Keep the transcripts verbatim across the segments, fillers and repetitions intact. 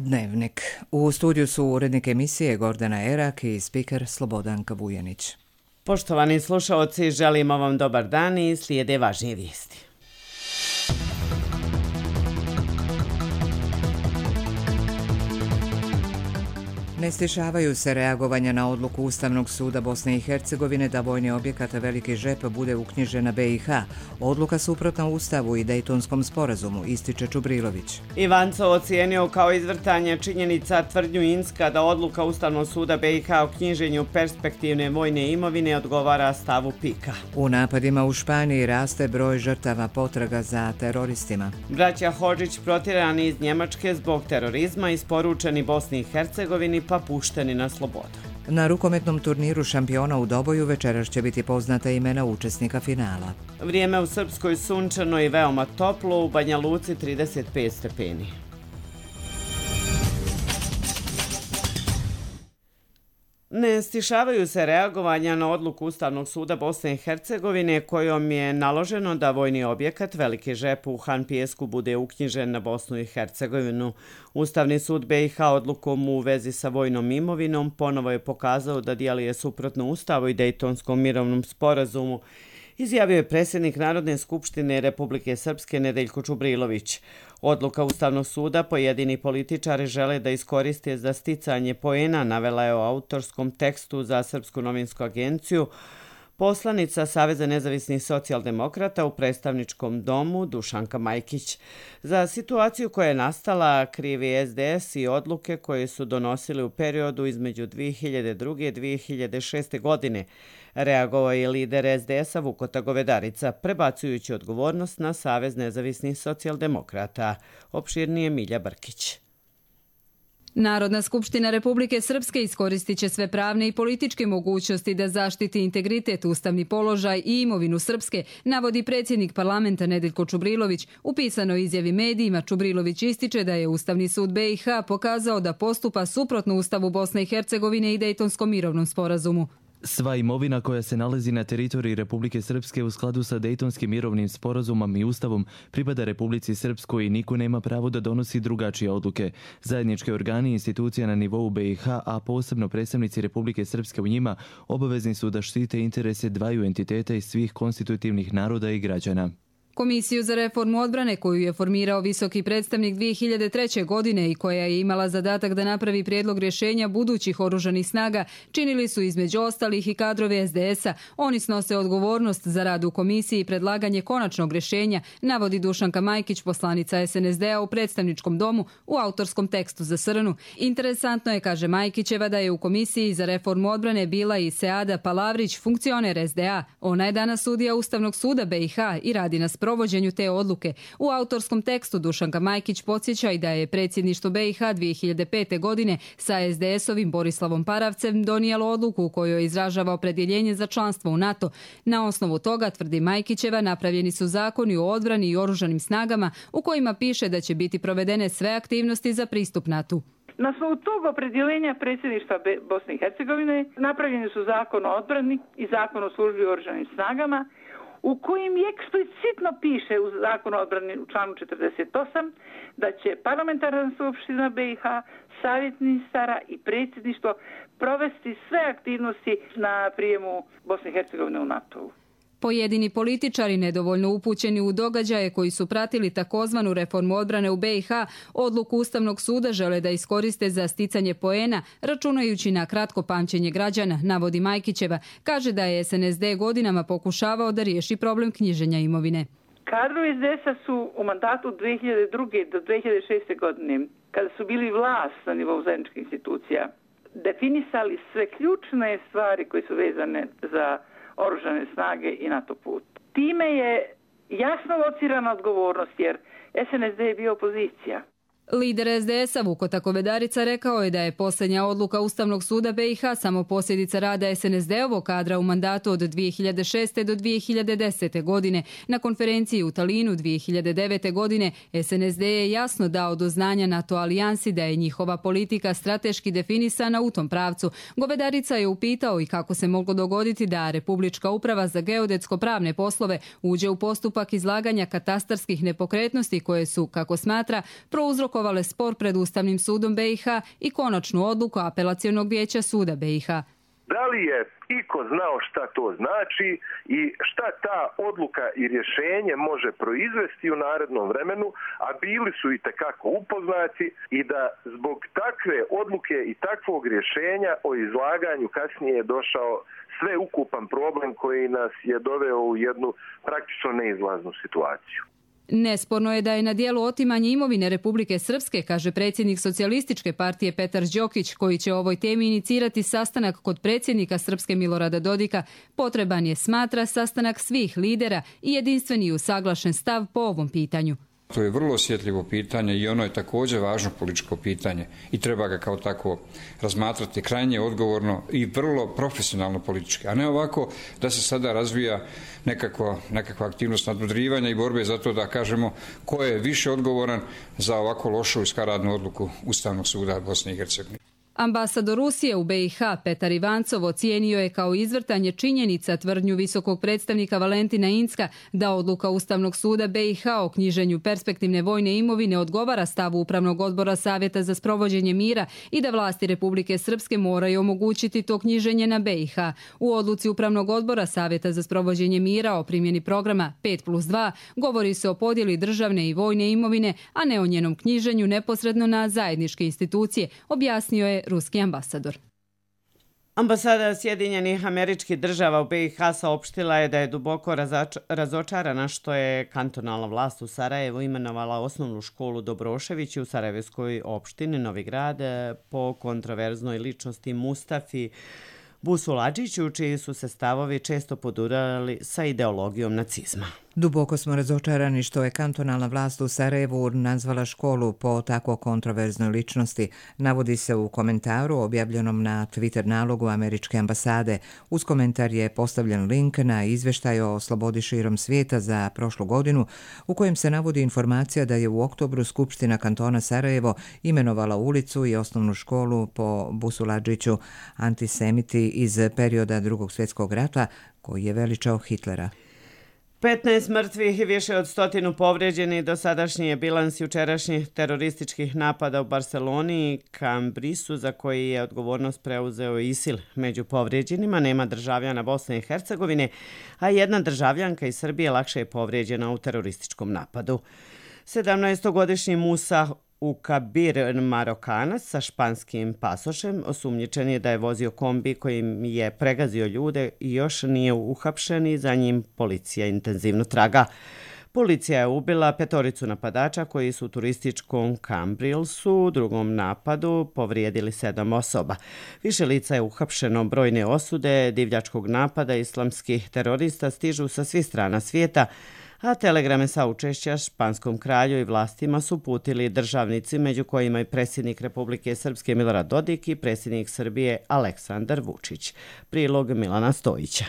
Dnevnik. U studiju su urednik emisije Gordana Erak i spiker Slobodanka Vujanić. Poštovani slušaoci, želimo vam dobar dan i slijede važnije vijesti. Ne stišavaju se reagovanja na odluku Ustavnog suda Bosne i Hercegovine da vojni objekat Veliki Žep bude uknjižen na B i H. Odluka suprotna Ustavu i Dejtonskom sporazumu, ističe Čubrilović. Ivanco ocijenio kao izvrtanje činjenica tvrdnju Inska da odluka Ustavnog suda B i H o knjiženju perspektivne vojne imovine odgovara stavu Pika. U napadima u Španiji raste broj žrtava potraga za teroristima. Braća Hodžić protjerani iz Njemačke zbog terorizma, isporučeni Bosni i Hercegovini pa pušteni na slobodu. Na rukometnom turniru šampiona u Doboju večeras će biti poznata imena učesnika finala. Vrijeme u Srpskoj sunčano i veoma toplo, u Banja Luci trideset pet stepeni. Ne stišavaju se reagovanja na odluku Ustavnog suda Bosne i Hercegovine kojom je naloženo da vojni objekat Veliki Žep u Han Pijesku bude uknjižen na Bosnu i Hercegovinu. Ustavni sud B i H odlukom u vezi sa vojnom imovinom ponovo je pokazao da djeluje suprotno Ustavu i Dejtonskom mirovnom sporazumu, izjavio je predsjednik Narodne skupštine Republike Srpske Nedeljko Čubrilović. Odluka Ustavnog suda pojedini političari žele da iskoriste za sticanje poena, navela je o autorskom tekstu za Srpsku novinsku agenciju poslanica Saveza nezavisnih socijaldemokrata u predstavničkom domu Dušanka Majkić. Za situaciju koja je nastala krivi S D S i odluke koje su donosili u periodu između dvije hiljade druge i dvije hiljade šeste. godine. Reagovao je lider S D S-a Vukota Govedarica, prebacujući odgovornost na Savez nezavisnih socijaldemokrata. Opširnije Milja Brkić. Narodna skupština Republike Srpske iskoristit će sve pravne i političke mogućnosti da zaštiti integritet, ustavni položaj i imovinu Srpske, navodi predsjednik parlamenta Nedeljko Čubrilović. U pisanoj izjavi medijima Čubrilović ističe da je Ustavni sud B i H pokazao da postupa suprotno Ustavu Bosne i Hercegovine i Dejtonskom mirovnom sporazumu. Sva imovina koja se nalazi na teritoriji Republike Srpske u skladu sa Dejtonskim mirovnim sporazumom i Ustavom pripada Republici Srpskoj i niko nema pravo da donosi drugačije odluke. Zajednički organi i institucija na nivou B i H, a posebno predstavnici Republike Srpske u njima, obavezni su da štite interese dvaju entiteta i svih konstitutivnih naroda i građana. Komisiju za reformu odbrane koju je formirao visoki predstavnik dvije hiljade treće. godine i koja je imala zadatak da napravi prijedlog rješenja budućih oružanih snaga činili su između ostalih i kadrovi S D S-a. Oni snose odgovornost za rad u komisiji i predlaganje konačnog rješenja, navodi Dušanka Majkić, poslanica S N S D-a u predstavničkom domu u autorskom tekstu za Srnu. Interesantno je, kaže Majkićeva, da je u komisiji za reformu odbrane bila i Seada Palavrić, funkcioner S D A. Ona je danas sudija Ustavnog suda B i H i radi na provođenju te odluke. U autorskom tekstu Dušanka Majkić podsjeća i da je predsjedništvo B i H dvije hiljade pete. godine sa S D S-ovim Borislavom Paravcem donijelo odluku u kojoj izražava opredjeljenje za članstvo u NATO. Na osnovu toga, tvrdi Majkićeva, napravljeni su zakoni o odbrani i oružanim snagama u kojima piše da će biti provedene sve aktivnosti za pristup NATO-u. Na osnovu tog opredjeljenja predsjedništva Bosne i Hercegovine napravljeni su zakon o odbrani i zakon o službi u oružanim snagama, u kojim eksplicitno piše u zakonu o odbrani u članu četrdeset osam da će parlamentarna skupština B i H, savjet ministara i predsjedništvo provesti sve aktivnosti na prijemu Bosne i Hercegovine u NATO-u. Pojedini političari, nedovoljno upućeni u događaje koji su pratili takozvanu reformu odbrane u B i H, odluku Ustavnog suda žele da iskoriste za sticanje poena, računajući na kratko pamćenje građana, navodi Majkićeva. Kaže da je S N S D godinama pokušavao da riješi problem knjiženja imovine. Kadrovi S D S-a su u mandatu od dvije hiljade druge. do dvije hiljade šeste. godine, kada su bili vlast na nivou zajedničkih institucija, definisali sve ključne stvari koje su vezane za oružane snage i NATO put. Time je jasno locirana odgovornost jer S N S D je bio opozicija. Lider S D S-a Vukota Govedarica rekao je da je posljednja odluka Ustavnog suda B i H samo posljedica rada S N S D-ovog kadra u mandatu od dvije hiljade šeste. do dvije hiljade desete. godine. Na konferenciji u Talinu dvije hiljade devete. godine S N S D je jasno dao do znanja NATO alijansi da je njihova politika strateški definisana u tom pravcu. Govedarica je upitao i kako se moglo dogoditi da Republička uprava za geodetsko-pravne poslove uđe u postupak izlaganja katastarskih nepokretnosti koje su, kako smatra, prouzrokovane oblikovale spor pred Ustavnim sudom B i H i konačnu odluku Apelacionog vijeća suda B i H. Da li je iko znao šta to znači i šta ta odluka i rješenje može proizvesti u narednom vremenu, a bili su i tekako upoznati i da zbog takve odluke i takvog rješenja o izlaganju kasnije je došao sveukupan problem koji nas je doveo u jednu praktično neizlaznu situaciju. Nesporno je da je na dijelu otimanje imovine Republike Srpske, kaže predsjednik Socijalističke partije Petar Đokić, koji će o ovoj temi inicirati sastanak kod predsjednika Srpske Milorada Dodika. Potreban je, smatra, sastanak svih lidera i jedinstveni i usaglašen stav po ovom pitanju. To je vrlo osjetljivo pitanje i ono je također važno političko pitanje i treba ga kao tako razmatrati krajnje odgovorno i vrlo profesionalno politički, a ne ovako da se sada razvija nekakva, nekakva aktivnost nadmudrivanja i borbe za to da kažemo ko je više odgovoran za ovako lošu i skaradnu odluku Ustavnog suda Bosne i Hercegovine. Ambasador Rusije u B i H Petar Ivancov ocijenio je kao izvrtanje činjenica tvrdnju visokog predstavnika Valentina Incka da odluka Ustavnog suda B i H o knjiženju perspektivne vojne imovine odgovara stavu Upravnog odbora Savjeta za sprovođenje mira i da vlasti Republike Srpske moraju omogućiti to knjiženje na B i H. U odluci Upravnog odbora Savjeta za sprovođenje mira o primjeni programa pet plus dva govori se o podjeli državne i vojne imovine, a ne o njenom knjiženju neposredno na zajedničke institucije, objasnio je ruski ambasador. Ambasada Sjedinjenih Američkih Država u B i H saopštila je da je duboko razočarana što je kantonalna vlast u Sarajevu imenovala osnovnu školu Dobrošević u Sarajevskoj opštini Novi Grad po kontroverznoj ličnosti Mustafi Busuladžiću, čiji su se stavovi često podurali sa ideologijom nacizma. Duboko smo razočarani što je kantonalna vlast u Sarajevu nazvala školu po tako kontroverznoj ličnosti, navodi se u komentaru objavljenom na Twitter nalogu američke ambasade. Uz komentar je postavljen link na izvještaj o slobodi širom svijeta za prošlu godinu, u kojem se navodi informacija da je u oktobru Skupština kantona Sarajevo imenovala ulicu i osnovnu školu po Busuladžiću, antisemiti iz perioda Drugog svjetskog rata koji je veličao Hitlera. petnaest mrtvih i više od stotinu povrijeđenih dosadašnji je bilans jučerašnjih terorističkih napada u Barceloni i Cambrisu, za koji je odgovornost preuzeo ISIL. Među povrijeđenima nema državljana Bosne i Hercegovine, a jedna državljanka iz Srbije lakše je povrijeđena u terorističkom napadu. sedamnaestogodišnji Musa Ukabir, Marokanac sa španskim pasošem, osumnjičen je da je vozio kombi kojim je pregazio ljude i još nije uhapšen i za njim policija intenzivno traga. Policija je ubila petoricu napadača koji su u turističkom Cambrilsu u drugom napadu povrijedili sedam osoba. Više lica je uhapšeno, brojne osude divljačkog napada islamskih terorista stižu sa svih strana svijeta, a telegrame saučešća španskom kralju i vlastima su uputili državnici, među kojima i predsjednik Republike Srpske Milorad Dodik i predsjednik Srbije Aleksandar Vučić. Prilog Milana Stojića.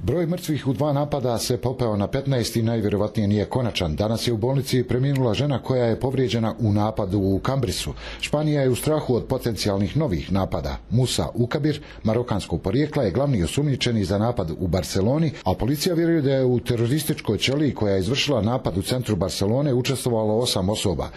Broj mrtvih u dva napada se popeo na petnaest i najvjerovatnije nije konačan. Danas je u bolnici preminula žena koja je povrijeđena u napadu u Cambrisu. Španija je u strahu od potencijalnih novih napada. Musa Ukabir, marokanskog porijekla, je glavni osumnjičeni za napad u Barceloni, a policija vjeruje da je u terorističkoj ćeliji koja je izvršila napad u centru Barcelone učestvovalo osam osoba.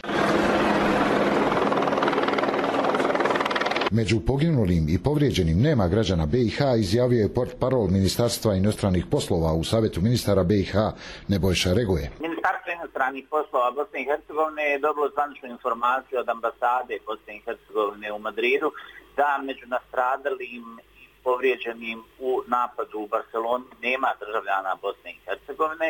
Među poginulim i povrijeđenim nema građana B i H, izjavio je portparol Ministarstva inostranih poslova u Savjetu ministara B i H Nebojša Regoje. Ministarstvo inostranih poslova Bosne i Hercegovine je dobilo zvaničnu informaciju od ambasade Bosne i Hercegovine u Madridu da među nastradalim i povrijeđenim u napadu u Barceloni nema državljana Bosne i Hercegovine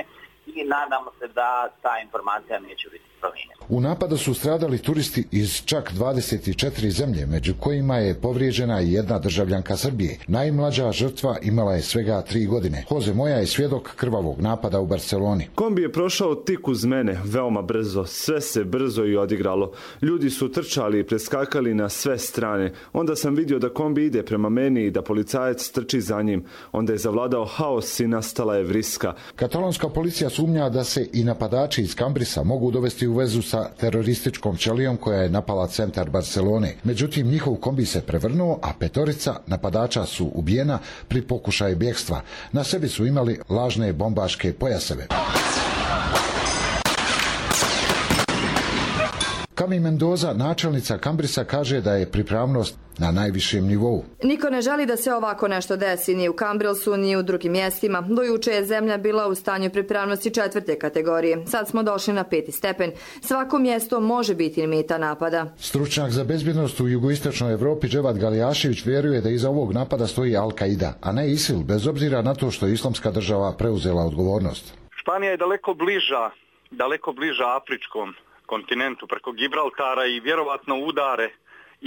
i nadamo se da ta informacija neće biti promijenjena. U napadu su stradali turisti iz čak dvadeset četiri zemlje, među kojima je povrijeđena i jedna državljanka Srbije. Najmlađa žrtva imala je svega tri godine. Jose Moja je svjedok krvavog napada u Barceloni. Kombi je prošao tik uz mene, veoma brzo. Sve se brzo i odigralo. Ljudi su trčali i preskakali na sve strane. Onda sam vidio da kombi ide prema meni i da policajac trči za njim. Onda je zavladao haos i nastala je vriska. Katalonska policija sumnja da se i napadači iz Cambrisa mogu dovesti u vezu sa terorističkom ćelijom koja je napala centar Barcelone. Međutim, njihov kombi se prevrnuo, a petorica napadača su ubijena pri pokušaju bjegstva. Na sebi su imali lažne bombaške pojaseve. Kami Mendoza, načelnica Cambrisa, kaže da je pripravnost na najvišem nivou. Niko ne želi da se ovako nešto desi ni u Cambrisu, ni u drugim mjestima. Do juče je zemlja bila u stanju pripravnosti četvrte kategorije. Sad smo došli na peti stepen. Svako mjesto može biti meta napada. Stručnjak za bezbjednost u jugoistočnoj Evropi Dževad Galijašević vjeruje da iza ovog napada stoji Al-Qaida, a ne ISIL, bez obzira na to što je Islamska država preuzela odgovornost. Španija je daleko bliža, daleko bliža afričkom kontinentu preko Gibraltara i vjerovatno udare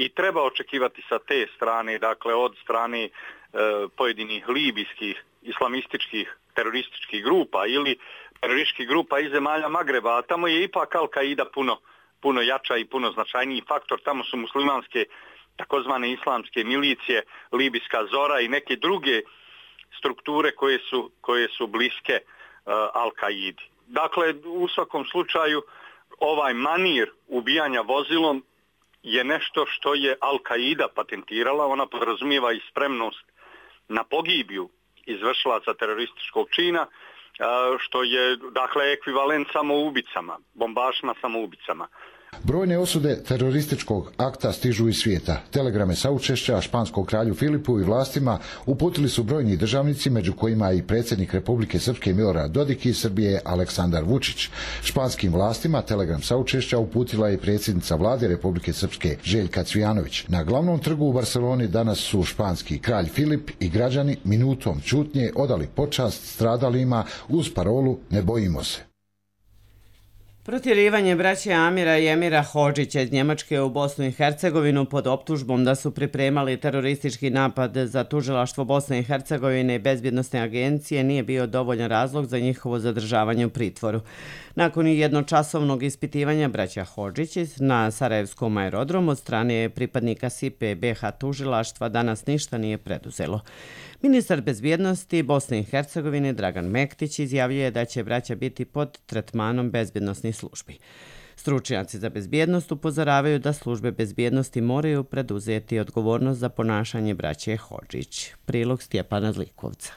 i treba očekivati sa te strane, dakle od strane e, pojedinih libijskih islamističkih terorističkih grupa ili terorističkih grupa iz zemalja Magreba, a tamo je ipak Al-Qaida puno, puno jača i puno značajniji faktor. Tamo su muslimanske takozvane islamske milicije, libijska Zora i neke druge strukture koje su, koje su bliske e, Al-Qaidi. Dakle, u svakom slučaju ovaj manir ubijanja vozilom je nešto što je Al-Qaida patentirala. Ona podrazumijeva i spremnost na pogibiju izvršilaca terorističkog čina, što je dakle ekvivalent samoubicama, bombašima samoubicama. Brojne osude terorističkog akta stižu iz svijeta. Telegrame saučešća španskom kralju Filipu i vlastima uputili su brojni državnici, među kojima i predsjednik Republike Srpske Milorad Dodik i Srbije Aleksandar Vučić. Španskim vlastima telegram saučešća uputila je predsjednica vlade Republike Srpske Željka Cvijanović. Na glavnom trgu u Barceloni danas su španski kralj Filip i građani minutom ćutnje odali počast stradalima uz parolu "Ne bojimo se". Protjerivanje braće Amira i Emira Hodžića iz Njemačke u Bosnu i Hercegovinu pod optužbom da su pripremali teroristički napad za tužilaštvo Bosne i Hercegovine i bezbjednosne agencije nije bio dovoljan razlog za njihovo zadržavanje u pritvoru. Nakon jednočasovnog ispitivanja braća Hodžić na Sarajevskom aerodromu od strane pripadnika S I P E B H tužilaštva danas ništa nije preduzelo. Ministar bezbjednosti Bosne i Hercegovine Dragan Mektić izjavljuje da će braća biti pod tretmanom bezbjednosnih službi. Stručnjaci za bezbjednost upozoravaju da službe bezbjednosti moraju preduzeti odgovornost za ponašanje braće Hodžić. Prilog Stjepana Zlikovca.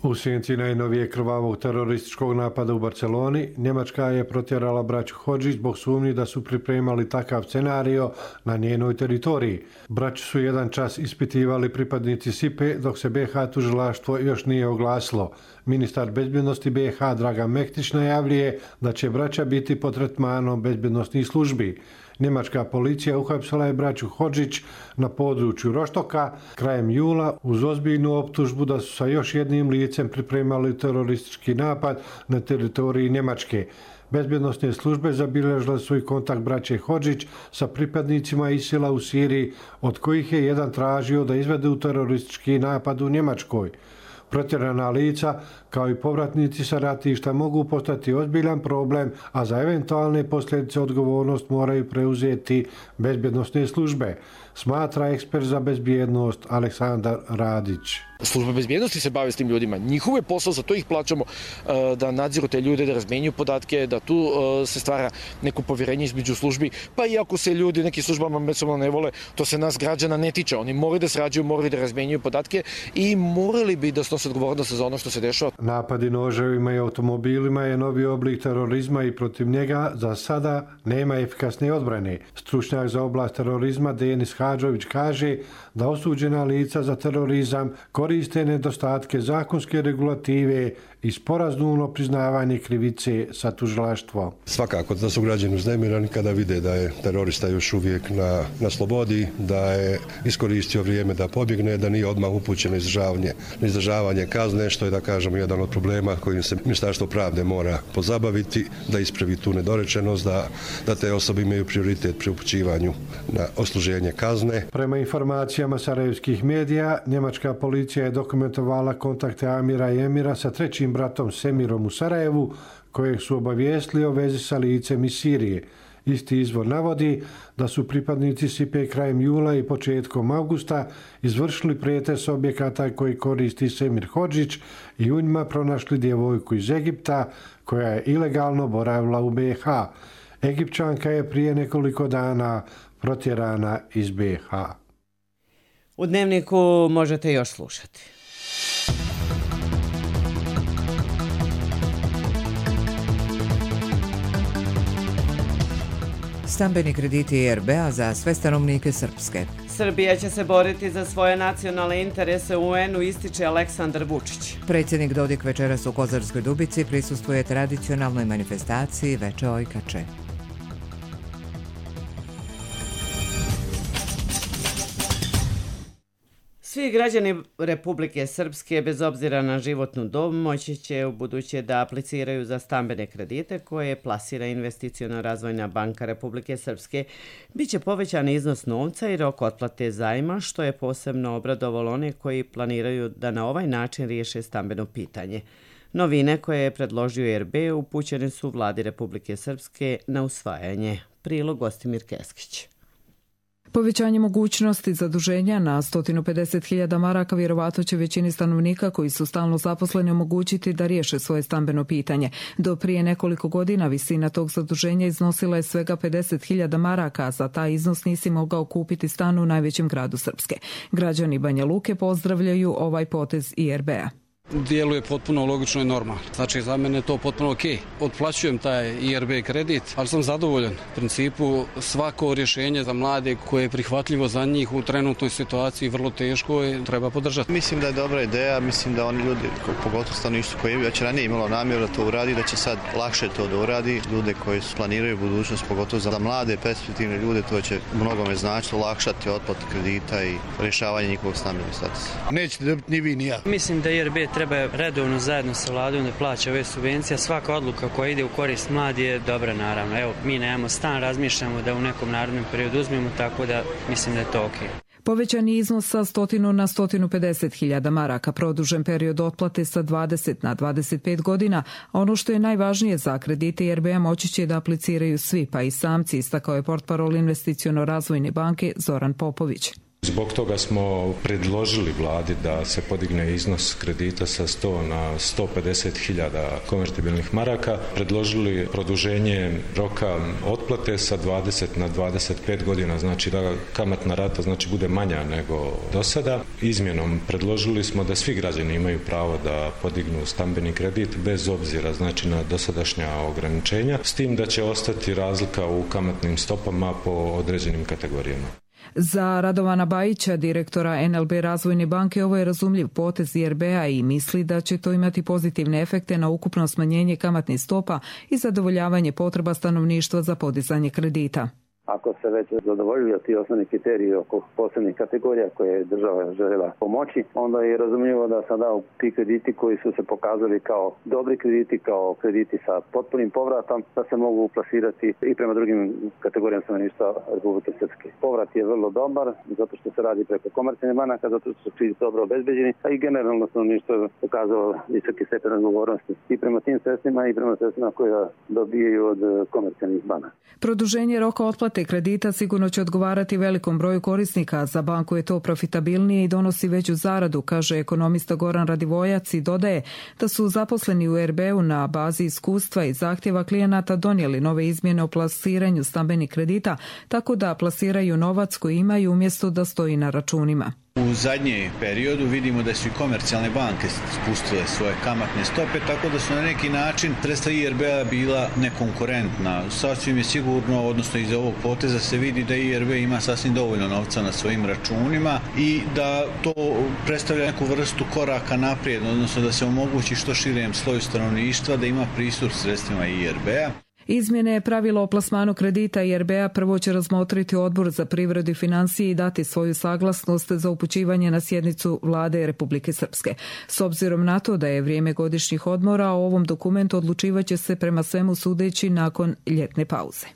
U sjenci najnovije krvavog terorističkog napada u Barceloni, Njemačka je protjerala braću Hodžić zbog sumnji da su pripremali takav scenario na njenoj teritoriji. Braću su jedan čas ispitivali pripadnici S I P E dok se B H tužilaštvo još nije oglasilo. Ministar bezbjednosti B H Dragan Mektić najavljuje da će braća biti pod tretmanom bezbjednosnih službi. Njemačka policija uhapsila je braću Hodžić na području Roštoka krajem jula uz ozbiljnu optužbu da su sa još jednim licem pripremali teroristički napad na teritoriji Njemačke. Bezbjednosne službe zabilježile su i kontakt braće Hodžić sa pripadnicima ISIL-a u Siriji, od kojih je jedan tražio da izvedu teroristički napad u Njemačkoj. Protjerana lica, kao i povratnici sa ratišta, mogu postati ozbiljan problem, a za eventualne posljedice odgovornost moraju preuzeti bezbjednosne službe, smatra ekspert za bezbjednost Aleksandar Radić. Službe bezbjednosti se bave s tim ljudima. Njihov je posao, za to ih plaćamo, da nadziru te ljude, da razmenjuju podatke, da tu se stvara neko povjerenje između službi. Pa i ako se ljudi neki službama međusobno ne vole, to se nas građana ne tiče. Oni moraju da srađuju, moraju da razmenjuju podatke i morali bi da snose odgovornost za ono što se dešava. Napadi noževima i automobilima je novi oblik terorizma i protiv njega za sada nema efikasne odbrane. Stručnjak za oblast terorizma Denis Hadžović kaže da osuđena lica za terorizam koriste nedostatke zakonske regulative i sporazumno priznavanje krivice sa tužilaštvom. Svakako da su građani uznemirani kada vide da je terorista još uvijek na, na slobodi, da je iskoristio vrijeme da pobjegne, da nije odmah upućen na izdržavanje, na izdržavanje kazne, što je, da kažemo, jedan od problema kojim se Ministarstvo pravde mora pozabaviti, da ispravi tu nedorečenost, da, da te osobe imaju prioritet pri upućivanju na odsluženje kazne. Prema informacijama sarajevskih medija, njemačka policija je dokumentovala kontakte Amira i Emira sa trećim bratom Semirom u Sarajevu, kojeg su obavijestili o vezi sa licem iz Sirije. Isti izvor navodi da su pripadnici S I P E krajem jula i početkom augusta izvršili pretres objekata koji koristi Semir Hodžić i u njima pronašli djevojku iz Egipta koja je ilegalno boravila u B i H. Egipćanka je prije nekoliko dana protjerana iz B i H. U Dnevniku možete još slušati. Stambeni krediti E R B-a za sve stanovnike Srpske. Srbija će se boriti za svoje nacionalne interese u U N-u, ističe Aleksandar Vučić. Predsjednik Dodik večeras u Kozarskoj Dubici prisustvuje tradicionalnoj manifestaciji Veče Ojkače. Svi građani Republike Srpske, bez obzira na životnu dob, moći će u buduće da apliciraju za stambene kredite koje plasira Investiciona razvojna banka Republike Srpske. Biće povećan iznos novca i rok otplate zajma, što je posebno obradovalo one koji planiraju da na ovaj način riješe stambeno pitanje. Novine koje je predložio E R B upućene su vladi Republike Srpske na usvajanje. Prilog Gostimir Keskić. Povećanje mogućnosti zaduženja na sto pedeset hiljada maraka vjerovatno će većini stanovnika koji su stalno zaposleni omogućiti da riješe svoje stambeno pitanje. Do prije nekoliko godina visina tog zaduženja iznosila je svega pedeset hiljada maraka, a za taj iznos nisi mogao kupiti stan u najvećem gradu Srpske. Građani Banja Luke pozdravljaju ovaj potez I R B-a. Djeluje potpuno logično i normalno. Znači, za mene je to potpuno ok. Otplaćujem taj I R B kredit, ali sam zadovoljan. U principu, svako rješenje za mlade koje je prihvatljivo za njih u trenutnoj situaciji vrlo teško je, treba podržati. Mislim da je dobra ideja, mislim da oni ljudi, pogotovo stanovništvo koje je već ranije imalo namjeru da to uradi, da će sad lakše to da uradi. Ljude koji planiraju budućnost, pogotovo za mlade, perspektivne ljude, to će mnogome značiti, olakšati otplatu kredita i rješavanje njihovog stambenog statusa. Nećete dobiti ni vi ni ja. Mislim da I R B treba redovno zajedno sa vladom da plaća ove subvencije. Svaka odluka koja ide u korist mladi je dobra, naravno. Evo, mi nemamo stan, razmišljamo da u nekom narednom periodu uzmemo, tako da mislim da je to ok. Povećani iznos sa stotinu na sto pedeset hiljada maraka, produžen period otplate sa dvadeset na dvadeset pet godina, a ono što je najvažnije za kredite I R B-a moći će da apliciraju svi, pa i samci, istakao je portparol Investiciono razvojne banke Zoran Popović. Zbog toga smo predložili vladi da se podigne iznos kredita sa sto na sto pedeset hiljada konvertibilnih maraka. Predložili produženje roka otplate sa dvadeset na dvadeset pet godina, znači da kamatna rata znači bude manja nego do sada. Izmjenom predložili smo da svi građani imaju pravo da podignu stambeni kredit bez obzira znači na dosadašnja ograničenja, s tim da će ostati razlika u kamatnim stopama po određenim kategorijama. Za Radovana Bajića, direktora N L B Razvojne banke, ovo je razumljiv potez I R B-a i misli da će to imati pozitivne efekte na ukupno smanjenje kamatnih stopa i zadovoljavanje potreba stanovništva za podizanje kredita. Ako se već zadovoljili ti osnovni kriteriji oko posebnih kategorija koje je država željela pomoći, onda je razumljivo da sada ti krediti koji su se pokazali kao dobri krediti, kao krediti sa potpunim povratom, da se mogu plasirati i prema drugim kategorijama stanovništva Republike Srpske. Povrat je vrlo dobar, zato što se radi preko komercijalnih banaka, zato što su krediti dobro obezbeđeni, a i generalno stanovništvo je pokazalo visoki stepen odgovornosti i prema tim sredstvima i prema sredstvima koje dobijaju od komercijalnih banaka. Produženje roka otplate kredita sigurno će odgovarati velikom broju korisnika. Za banku je to profitabilnije i donosi veću zaradu, kaže ekonomista Goran Radivojac i dodaje da su zaposleni u E R B-u na bazi iskustva i zahtjeva klijenata donijeli nove izmjene o plasiranju stambenih kredita, tako da plasiraju novac koji imaju umjesto da stoji na računima. U zadnjem periodu vidimo da su i komercijalne banke spustile svoje kamatne stope, tako da su na neki način sredstva I R B-a bila nekonkurentna. Sasvim je sigurno, odnosno iz ovog poteza se vidi da I R B ima sasvim dovoljno novca na svojim računima i da to predstavlja neku vrstu koraka naprijed, odnosno da se omogući što širem sloju stanovništva da ima pristup sredstvima I R B-a. Izmjene pravila o plasmanu kredita I R B-a prvo će razmotriti Odbor za privredu i financije i dati svoju saglasnost za upućivanje na sjednicu vlade Republike Srpske. S obzirom na to da je vrijeme godišnjih odmora, o ovom dokumentu odlučivaće se prema svemu sudeći nakon ljetne pauze.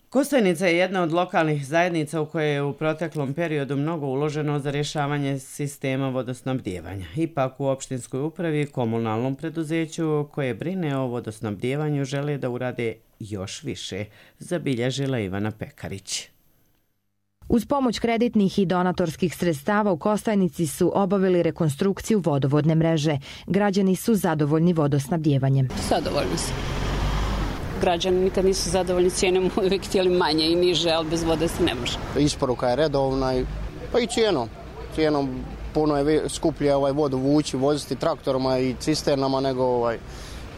Kostajnica je jedna od lokalnih zajednica u kojoj je u proteklom periodu mnogo uloženo za rješavanje sistema vodosnabdijevanja. Ipak u opštinskoj upravi i komunalnom preduzeću koje brine o vodosnabdijevanju žele da urade još više, zabilježila Ivana Pekarić. Uz pomoć kreditnih i donatorskih sredstava u Kostajnici su obavili rekonstrukciju vodovodne mreže. Građani su zadovoljni vodosnabdjevanjem. Zadovoljni su. Građani nikad nisu zadovoljni cijenom, uvijek htjeli manje i niže, ali bez vode se ne može. Isporuka je redovna, pa i cijenom. Cijenom puno je skuplje ovaj vodu vući, voziti traktorima i cisternama nego ovaj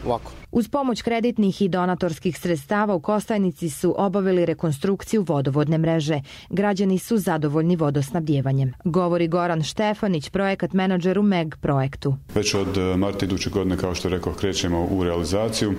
ovako. Uz pomoć kreditnih i donatorskih sredstava u Kostajnici su obavili rekonstrukciju vodovodne mreže. Građani su zadovoljni vodosnabdjevanjem. Govori Goran Štefanić, projekat menadžer u M E G projektu. Već od marta iduće godine, kao što rekao, krećemo u realizaciju.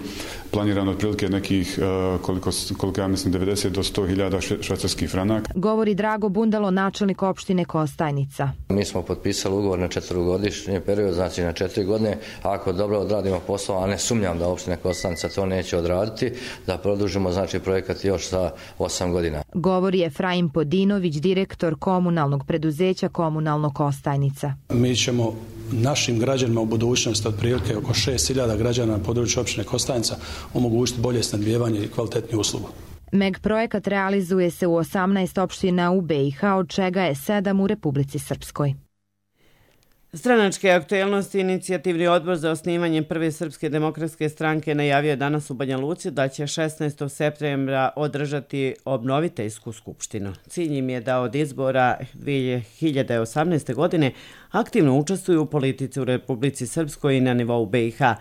Planirano otprilike nekih, koliko, koliko ja mislim, devedeset do sto hiljada švajcarskih franaka. Govori Drago Bundalo, načelnik opštine Kostajnica. Mi smo potpisali ugovor na četverogodišnji period, znači na četiri godine. Ako dobro odradimo posao, a ne sumnjam da opština Kostajnica to neće odraditi, da produžimo znači projekat još za osam godina. Govori Efraim Podinović, direktor komunalnog preduzeća Komunalno Kostajnica. Mi ćemo našim građanima u budućnosti, otprilike oko šest hiljada građana na području opštine Kostajnica, omogućiti bolje snabdijevanje i kvalitetniju uslugu. M E G projekat realizuje se u osamnaest opština u B i H, od čega je sedam u Republici Srpskoj. Stranačke aktuelnosti inicijativni odbor za osnivanje prve Srpske demokratske stranke najavio je danas u Banja Luci da će šesnaestog septembra održati obnoviteljsku skupštinu. Cilj im je da od izbora dvije hiljade osamnaeste. godine aktivno učestvuju u politici u Republici Srpskoj i na nivou B i H.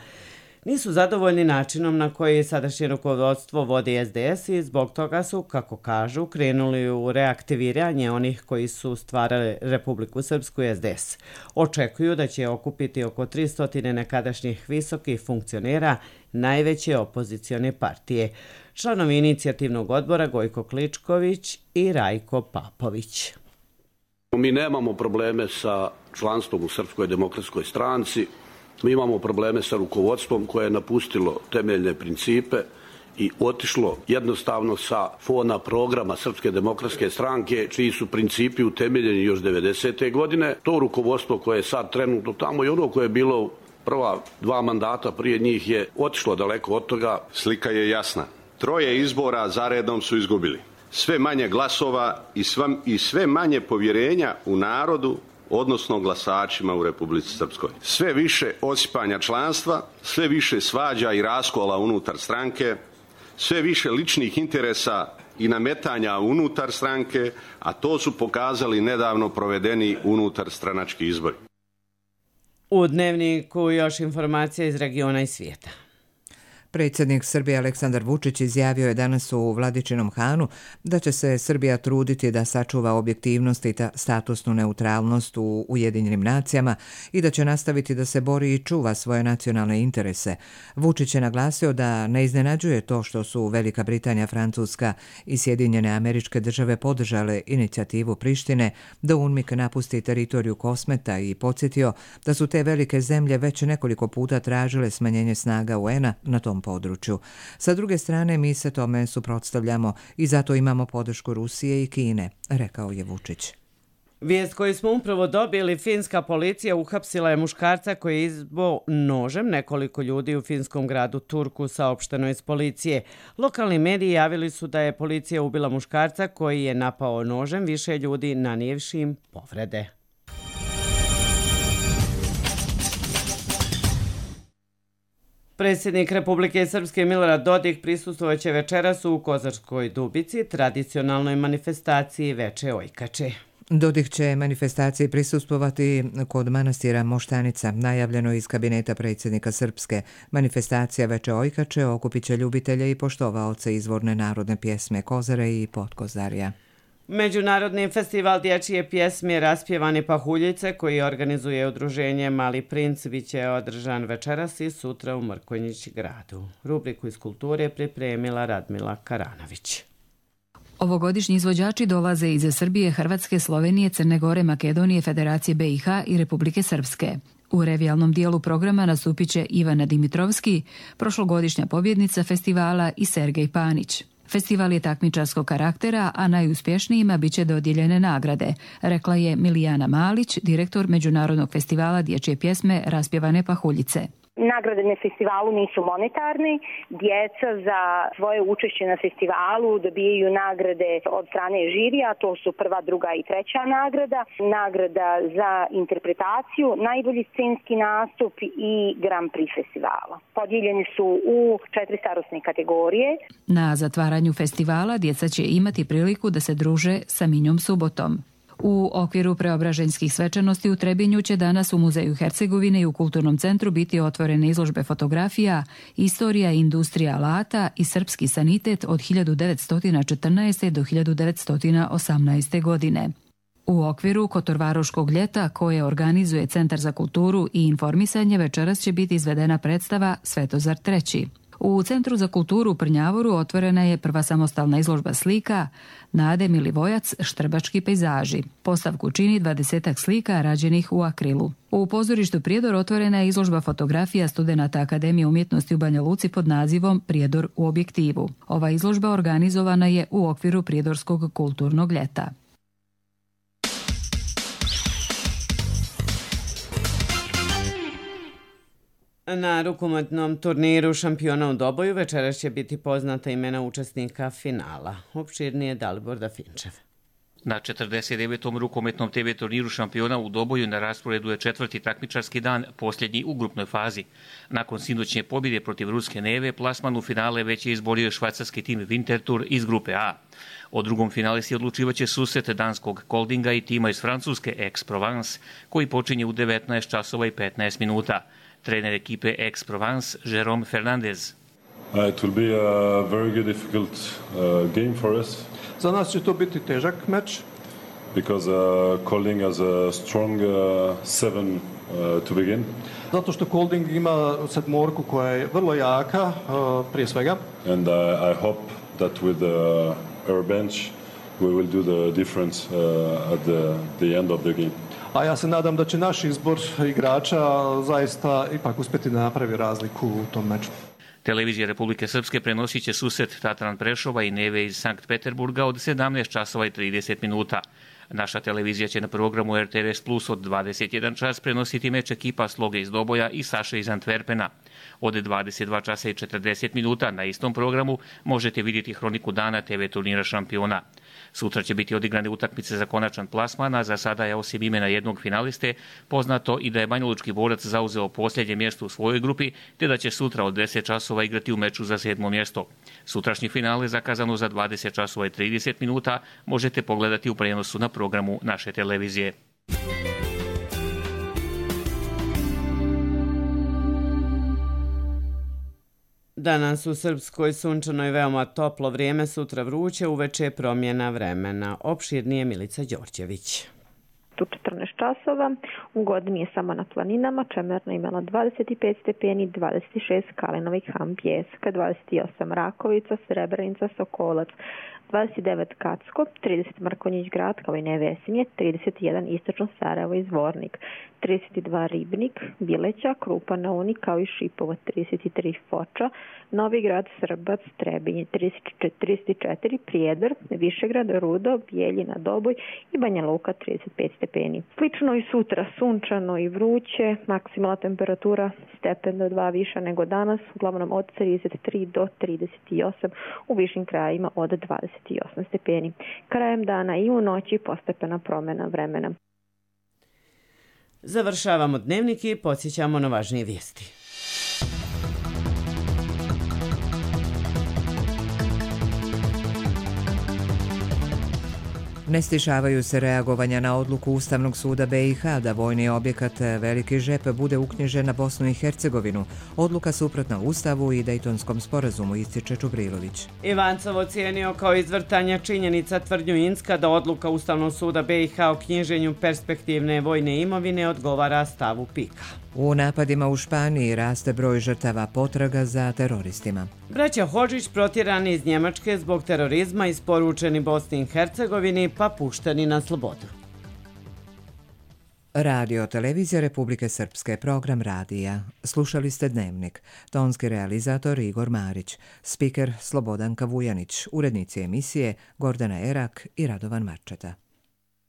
Nisu zadovoljni načinom na koji sadašnje rukovodstvo vodi S D S i zbog toga su, kako kažu, krenuli u reaktiviranje onih koji su stvarali Republiku Srpsku i S D S. Očekuju da će okupiti oko tristo nekadašnjih visokih funkcionera najveće opozicione partije. Članovi inicijativnog odbora Gojko Kličković i Rajko Papović. Mi nemamo probleme sa članstvom u Srpskoj demokratskoj stranci. Mi imamo probleme sa rukovodstvom koje je napustilo temeljne principe i otišlo jednostavno sa fona programa Srpske demokratske stranke, čiji su principi utemeljeni još devedesete. godine. To rukovodstvo koje je sad trenutno tamo i ono koje je bilo prva dva mandata prije njih je otišlo daleko od toga. Slika je jasna. Troje izbora zaredom su izgubili. Sve manje glasova i, sva, i sve manje povjerenja u narodu, odnosno glasačima u Republici Srpskoj. Sve više osipanja članstva, sve više svađa i raskola unutar stranke, sve više ličnih interesa i nametanja unutar stranke, a to su pokazali nedavno provedeni unutar stranački izbori. U Dnevniku još informacija iz regiona i svijeta. Predsjednik Srbije Aleksandar Vučić izjavio je danas u Vladičinom Hanu da će se Srbija truditi da sačuva objektivnost i statusnu neutralnost u Ujedinjenim nacijama i da će nastaviti da se bori i čuva svoje nacionalne interese. Vučić je naglasio da ne iznenađuje to što su Velika Britanija, Francuska i Sjedinjene Američke Države podržale inicijativu Prištine da UNMIK napusti teritoriju Kosmeta i podsjetio da su te velike zemlje već nekoliko puta tražile smanjenje snaga U N-a na tom području. Sa druge strane, mi se tome suprotstavljamo i zato imamo podršku Rusije i Kine, rekao je Vučić. Vijest koju smo upravo dobili, finska policija uhapsila je muškarca koji je izbo nožem nekoliko ljudi u finskom gradu Turku, saopšteno iz policije. Lokalni mediji javili su da je policija ubila muškarca koji je napao nožem više ljudi, nanijevši im povrede. Predsjednik Republike Srpske Milorad Dodik prisustvovaće večeras u Kozarskoj Dubici, tradicionalnoj manifestaciji Veče Ojkače. Dodik će manifestaciji prisustvovati kod manastira Moštanica, najavljeno iz kabineta predsjednika Srpske. Manifestacija Veče Ojkače okupit će ljubitelje i poštovaoce izvorne narodne pjesme Kozare i Potkozarja. Međunarodni festival dječje pjesme Raspjevane pahuljice, koji organizuje udruženje Mali princ, biće održan večeras i sutra u Mrkonjić gradu. Rubriku iz kulture pripremila Radmila Karanović. Ovogodišnji izvođači dolaze iz Srbije, Hrvatske, Slovenije, Crne Gore, Makedonije, Federacije B i H i Republike Srpske. U revijalnom dijelu programa nastupit će Ivana Dimitrovski, prošlogodišnja pobjednica festivala, i Sergej Panić. Festival je takmičarskog karaktera, a najuspješnijima bit će dodijeljene nagrade, rekla je Milijana Malić, direktor Međunarodnog festivala dječje pjesme Raspjevane pahuljice. Nagrade na festivalu nisu monetarne. Djeca za svoje učešće na festivalu dobijaju nagrade od strane žirija, to su prva, druga i treća nagrada. Nagrada za interpretaciju, najbolji scenski nastup i Grand Prix festivala. Podijeljeni su u četiri starosne kategorije. Na zatvaranju festivala djeca će imati priliku da se druže sa Minjom Subotom. U okviru preobraženjskih svečanosti u Trebinju će danas u Muzeju Hercegovine i u Kulturnom centru biti otvorene izložbe fotografija, istorija i industrija alata i srpski sanitet od hiljadu devetsto četrnaeste. do hiljadu devetsto osamnaeste. godine. U okviru Kotorvaroškog ljeta koje organizuje Centar za kulturu i informisanje večeras će biti izvedena predstava Svetozar treći. U Centru za kulturu u Prnjavoru otvorena je prva samostalna izložba slika Nade Milivojac Štrbački pejzaži. Postavku čini dvadesetak slika rađenih u akrilu. U pozorištu Prijedor otvorena je izložba fotografija studenata Akademije umjetnosti u Banja Luci pod nazivom Prijedor u objektivu. Ova izložba organizovana je u okviru Prijedorskog kulturnog ljeta. Na rukometnom turniru šampiona u Doboju večeras će biti poznata imena učesnika finala. Opširnije Dalibor Dafinčev. Na četrdeset devetom rukometnom te ve turniru šampiona u Doboju na rasporedu je četvrti takmičarski dan, posljednji u grupnoj fazi. Nakon sinoćnje pobjede protiv Ruske Neve, plasman u finale već je izborio švajcarski tim Winterthur iz grupe A. O drugom finalisti odlučivaće susret danskog Koldinga i tima iz Francuske Aix-Provence, koji počinje u devetnaest časova i petnaest minuta. Trener ekipe Aix-Provence, Jérôme Fernandez. Uh, it will be a very good difficult uh, game for us. Za nas će to biti težak meč. Because uh, Kolding has a strong uh, seven uh, to begin. Zato što Kolding ima sedmorku koja je vrlo jaka, uh, prije svega. And uh, I hope that with uh, our bench we will do the difference uh, at the, the end of the game. A ja se nadam da će naš izbor igrača zaista ipak uspjeti da napravi razliku u tom meču. Televizija Republike Srpske prenosit će susret Tatran Prešova i Neve iz Sankt Peterburga od sedamnaest časova i trideset minuta. Naša televizija će na programu er te ve es Plus od dvadeset jedan čas prenositi meč ekipa Sloge iz Doboja i Saše iz Antwerpena. Od dvadeset dva časa i četrdeset minuta na istom programu možete vidjeti hroniku dana te ve turnira šampiona. Sutra će biti odigrane utakmice za konačan plasman, a za sada je osim imena jednog finaliste poznato i da je banjalučki borac zauzeo posljednje mjesto u svojoj grupi, te da će sutra od deset časova igrati u meču za sedmo mjesto. Sutrašnji finale, zakazano za dvadeset časova i trideset minuta, možete pogledati u prenosu na programu naše televizije. Danas u Srpskoj sunčano i veoma toplo vrijeme, sutra vruće, uveče promjena vremena. Opširnije Milica Đorđević. U četrnaest časova, u Godini je samo na planinama, Čemerna imala dvadeset pet stepeni, dvadeset šest Kalinova i Han Pijeska, dvadeset osam Rakovica, Srebrenica, Sokolac, dvadeset devet Kacko, trideset Mrkonjić Grad kao i Nevesinje, trideset jedan Istočno Sarajevo i Zvornik, trideset dva Ribnik, Bileća, Krupa na Uni kao i Šipovo, trideset tri Foča, Novi Grad, Srbac, Trebinje, trideset četiri Prijedor, Višegrad, Rudo, Bijeljina, Doboj i Banja Luka, trideset pet stepeni. Slično i sutra, sunčano i vruće, maksimalna temperatura stepen do dva viša nego danas, uglavnom od trideset tri do trideset osam, u višim krajima od dvadeset osam stepeni. Krajem dana i u noći postepena promjena vremena. Završavamo dnevnik i podsjećamo na važnije vijesti. Ne stišavaju se reagovanja na odluku Ustavnog suda be i ha da vojni objekat Veliki Žep bude uknjižen na Bosnu i Hercegovinu. Odluka suprotna Ustavu i Dejtonskom sporazumu, ističe Čubrilović. Ivancov ocijenio kao izvrtanja činjenica tvrdnju Inska da odluka Ustavnog suda be i ha o knjiženju perspektivne vojne imovine odgovara stavu Pika. U napadima u Španiji raste broj žrtava potraga za teroristima. Braća Hodžić protjerani iz Njemačke zbog terorizma, isporučeni Bosni i Hercegovini pa pušteni na slobodu. Radio Televizija Republike Srpske, program radija. Slušali ste Dnevnik. Tonski realizator Igor Marić, spiker Slobodanka Vujanić, urednici emisije Gordana Erak i Radovan Marčeta.